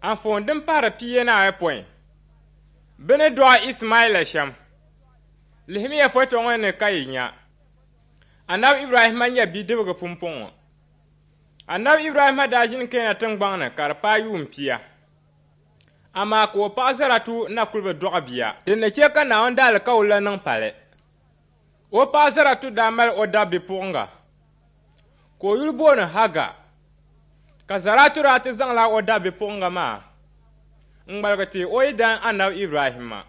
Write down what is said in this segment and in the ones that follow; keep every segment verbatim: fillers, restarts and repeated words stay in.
Anfooni din pahiri pia ni ayopɔin, bɛ ni dɔɣi Ismaila shɛm. Lihimiya foto ŋɔ ni ka yi nya. Anabi Ibrahima nyɛ bidibga pumpɔŋɔ. Anabi Ibrahima daa ʒini Keena tiŋgbɔŋ ni ka di paai yuun pia. Amaa ka o paɣa Zaratu na kuli bi dɔɣi bia. Din ni chɛ ka Naawuni daalikauli la niŋ pali. O paɣa Zaratu daa mali o dab bipuɣiŋga ka o yuli booni Haga. Ka Zaratu daa ti zaŋla o dab bipuɣiŋga maa n-ŋmaligi ti o yidana Anabi Ibrahima.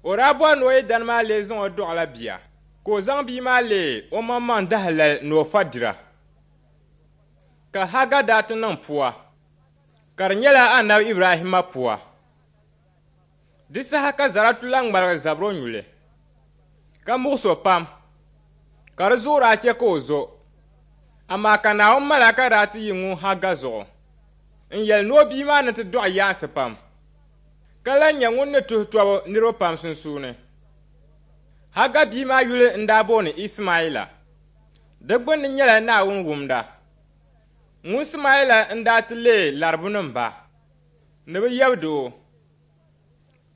O daa bɔri ni o yidana maa lee zaŋ o dɔɣila bia, ka o zaŋ bia maa leei o maŋmaŋ dahalali ni o fa dira. Ka Haga daa ti niŋ pua, ka di nyɛla Anabi Ibrahima pua. Di saha ka Zaratu lan ŋmaligi zabiri o nyuli, ka muɣis o pam, ka di zuɣu daa chɛ ka o zo. Amaa ka Naawuni malaika daa ti yi ŋun Haga zuɣu n-yɛli ni o bia maa ni ti dɔɣi yaansi pam, ka lan nyɛ ŋun ni tuhi tɔbu niriba pam sunsuuni. Haga bia maa yuli n-daa booni Ismaila. Di gbunni nyɛla Naawuni wumda. Ŋun Ismaila n-daa ti leei Laribunima ba, ni bɛ yab doo.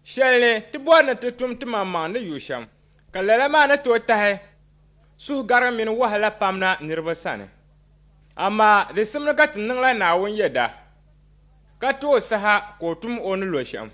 Shɛli ni ti bɔri ni ti tum timaŋmaŋ ni yu shɛm, ka lala maa ni tooi tahi suhugarigu mini wahala pam na niriba sani. Amaa di simdi ka ti niŋla Naawuni yɛda, ka ti o saha ka o tum o ni lo shɛm.